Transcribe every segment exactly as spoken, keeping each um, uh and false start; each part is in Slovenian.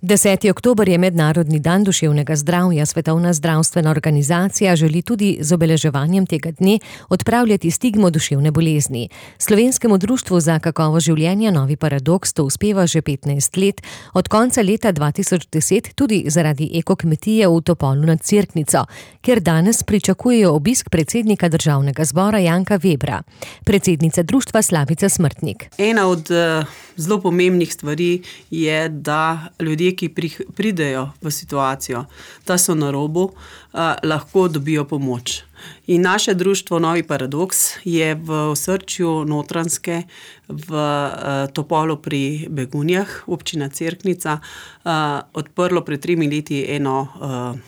Deseti oktober je mednarodni dan duševnega zdravja. Svetovna zdravstvena organizacija želi tudi z obeleževanjem tega dne odpravljati stigmo duševne bolezni. Slovenskemu društvu za kakovost življenja Novi paradoks to uspeva že petnajst let, od konca leta dva tisoč deset tudi zaradi ekokmetije v Topolu nad Cerknico, kjer danes pričakujejo obisk predsednika državnega zbora Janka Vebra. Predsednica društva Slavica Smrtnik. Ena od uh, zelo pomembnih stvari je, da ljudje, ki pridejo v situacijo, da so na robu, eh, lahko dobijo pomoč. In naše društvo Novi paradoks je v osrčju Notranjske v eh, Topolu pri Begunjah, občina Cerknica, eh, odprlo pred tremi leti eno eh,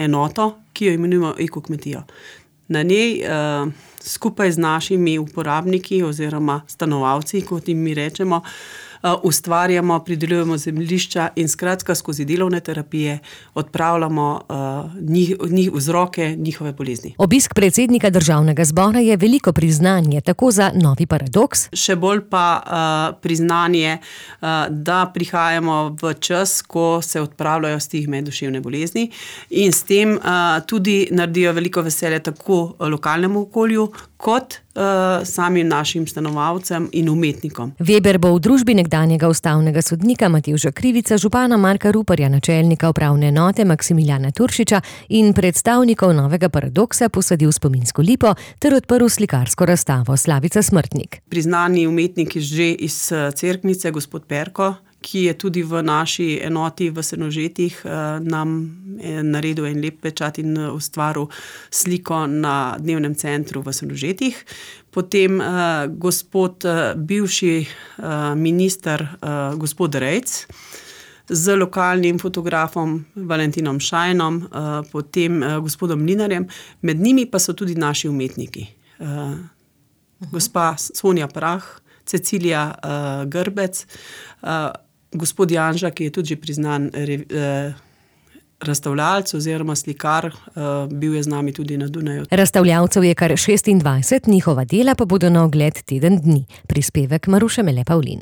enoto, ki jo imenujemo ekokmetijo. Na njej eh, skupaj z našimi uporabniki oziroma stanovalci, kot jim mi rečemo, ustvarjamo, pridelujemo zemljišča in skratka skozi delovne terapije odpravljamo uh, njih, njih, vzroke njihove bolezni. Obisk predsednika državnega zbora je veliko priznanje, tako za Novi paradoks. Še bolj pa uh, priznanje, uh, da prihajamo v čas, ko se odpravljajo stigme duševne bolezni in s tem uh, tudi naredijo veliko veselje tako lokalnemu okolju, kot uh, samim našim stanovalcem in umetnikom. Veber bo v družbi nekdanjega ustavnega sodnika Matevža Krivica, župana Marka Ruparja, načelnika upravne enote Maksimiljana Turšiča in predstavnikov Novega paradoksa posadil spominsko lipo ter odprl slikarsko razstavo Slavica Smrtnik. Priznani umetnik že iz Cerknice, gospod Perko, ki je tudi v naši enoti v Senožetih nam naredil en lep pečat in ustvaril sliko na dnevnem centru v Senožetih. Potem uh, gospod uh, bivši uh, minister uh, gospod Rejc z lokalnim fotografom Valentinom Šajnom, uh, potem uh, gospodom Mlinarjem, med njimi pa so tudi naši umetniki. Uh, uh-huh. Gospa Sonja Prah, Cecilija uh, Grbec, uh, gospod Janža, ki je tudi že priznan eh, razstavljalec oziroma slikar, eh, bil je z nami tudi na Dunaju. Razstavljalcev je kar šestindvajset, njihova dela pa bodo na ogled teden dni. Prispevek Maruše Mele Pavlin.